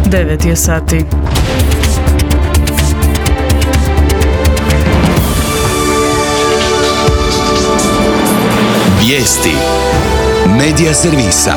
9 je sati. Vijesti Medija servisa.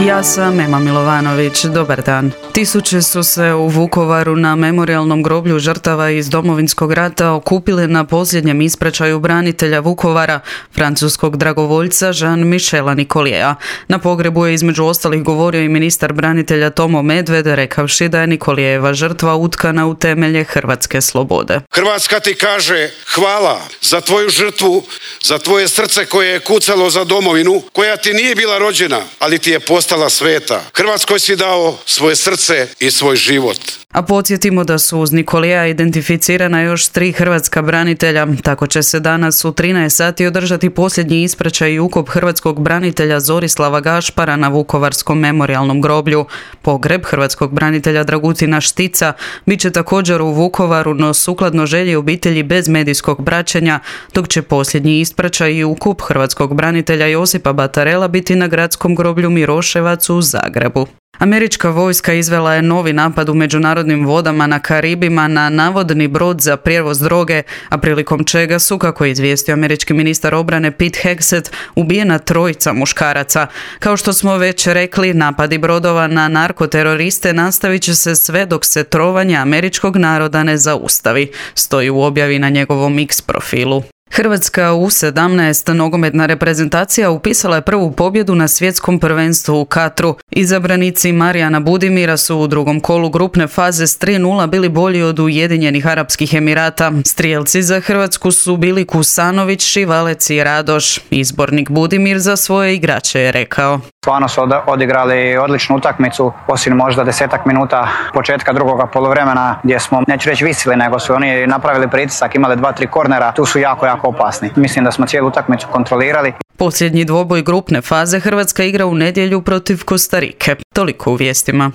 Ja sam Ema Milovanović, dobar dan. Tisuće su se u Vukovaru na memorijalnom groblju žrtava iz Domovinskog rata okupile na posljednjem ispraćaju branitelja Vukovara, francuskog dragovoljca Jean-Michela Nicoliera. Na pogrebu je između ostalih govorio i ministar branitelja Tomo Medved, rekavši da je Nicoliera žrtva utkana u temelje hrvatske slobode. Hrvatska ti kaže hvala za tvoju žrtvu, za tvoje srce koje je kucalo za domovinu, koja ti nije bila rođena, ali ti je postala sveta. Hrvatskoj si dao svoje srce i svoj život. A podsjetimo da su uz Nicoliera identificirana još 3 hrvatska branitelja. Tako će se danas u 13 sati održati posljednji ispraćaj i ukop hrvatskog branitelja Zorislava Gašpara na Vukovarskom memorijalnom groblju. Pogreb hrvatskog branitelja Dragutina Štica bit će također u Vukovaru, no sukladno želji obitelji bez medijskog praćenja, dok će posljednji ispraćaj i ukop hrvatskog branitelja Josipa Batarela biti na gradskom groblju Miroševac u Zagrebu. Američka vojska izvela je novi napad u međunarodnim vodama na Karibima na navodni brod za prijevoz droge, a prilikom čega su, kako je izvijestio američki ministar obrane Pete Hegseth, ubijena 3 muškaraca. Kao što smo već rekli, napadi brodova na narkoteroriste nastavit će se sve dok se trovanje američkog naroda ne zaustavi, stoji u objavi na njegovom X profilu. Hrvatska U17 nogometna reprezentacija upisala je prvu pobjedu na svjetskom prvenstvu u Katru. Izabranici Marijana Budimira su u drugom kolu grupne faze s 3:0 bili bolji od Ujedinjenih Arapskih Emirata. Strijelci za Hrvatsku su bili Kusanović, Šivalec i Radoš. Izbornik Budimir za svoje igrače je rekao: Stvarno su odigrali odličnu utakmicu, osim možda 10 minuta početka drugoga poluvremena gdje smo, neću reći visili, nego su oni napravili pritisak, imali 2-3 kornera, tu su jako opasni. Mislim da smo cijelu utakmicu kontrolirali. Posljednji dvoboj grupne faze Hrvatska igra u nedjelju protiv Kostarike. Toliko u vijestima.